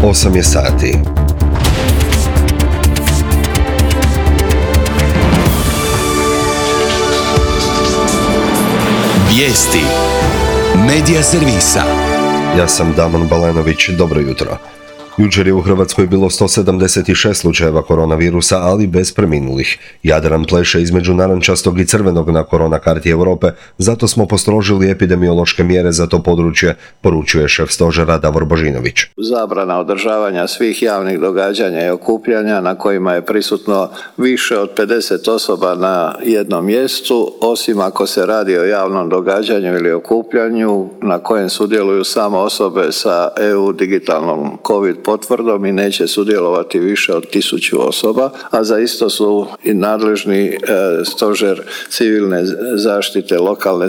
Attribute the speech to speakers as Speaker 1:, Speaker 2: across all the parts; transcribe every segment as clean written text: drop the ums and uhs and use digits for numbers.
Speaker 1: 8 je sati.
Speaker 2: Vijesti Medija servisa.
Speaker 1: Ja sam Damon Balenović, dobro jutro. Jučer je u Hrvatskoj bilo 176 slučajeva koronavirusa, ali bez preminulih. Jadran pleše između narančastog i crvenog na korona karti Europe, zato smo postrožili epidemiološke mjere za to područje, poručuje šef stožera Davor Božinović.
Speaker 3: Zabrana održavanja svih javnih događanja i okupljanja na kojima je prisutno više od 50 osoba na jednom mjestu, osim ako se radi o javnom događanju ili okupljanju na kojem sudjeluju samo osobe sa EU digitalnom COVID potvrdom i neće sudjelovati više od 1000 osoba, a za isto su i nadležni stožer civilne zaštite lokalne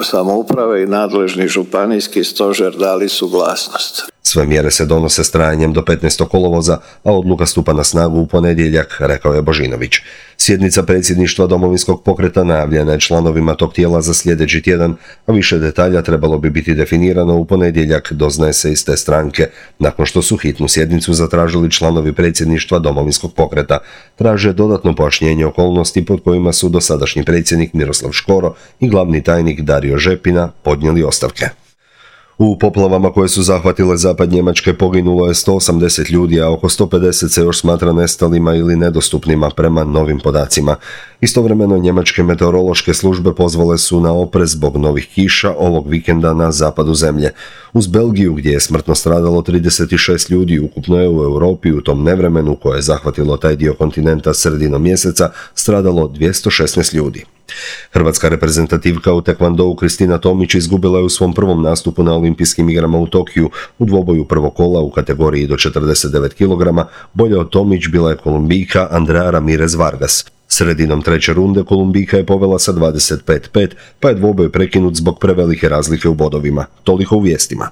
Speaker 3: samouprave i nadležni županijski stožer dali suglasnost.
Speaker 1: Sve mjere se donose s trajanjem do 15. kolovoza, a odluka stupa na snagu u ponedjeljak, rekao je Božinović. Sjednica predsjedništva Domovinskog pokreta najavljena je članovima tog tijela za sljedeći tjedan, a više detalja trebalo bi biti definirano u ponedjeljak, doznaje se iz te stranke, nakon što su hitnu sjednicu zatražili članovi predsjedništva Domovinskog pokreta. Traže dodatno pojašnjenje okolnosti pod kojima su dosadašnji predsjednik Miroslav Škoro i glavni tajnik Dario Žepina podnijeli ostavke. U poplavama koje su zahvatile zapad Njemačke poginulo je 180 ljudi, a oko 150 se još smatra nestalima ili nedostupnima prema novim podacima. Istovremeno njemačke meteorološke službe pozvale su na oprez zbog novih kiša ovog vikenda na zapadu zemlje. Uz Belgiju, gdje je smrtno stradalo 36 ljudi, ukupno je u Europi u tom nevremenu koje je zahvatilo taj dio kontinenta sredinom mjeseca stradalo 216 ljudi. Hrvatska reprezentativka u tekvandou Kristina Tomić izgubila je u svom prvom nastupu na Olimpijskim igrama u Tokiju u dvoboju prvog kola u kategoriji do 49 kg. Bolje od Tomić bila je Kolumbijka Andrea Ramirez Vargas. Sredinom treće runde Kolumbijka je povela sa 25-5, pa je dvoboj prekinut zbog prevelike razlike u bodovima. Toliko u vijestima.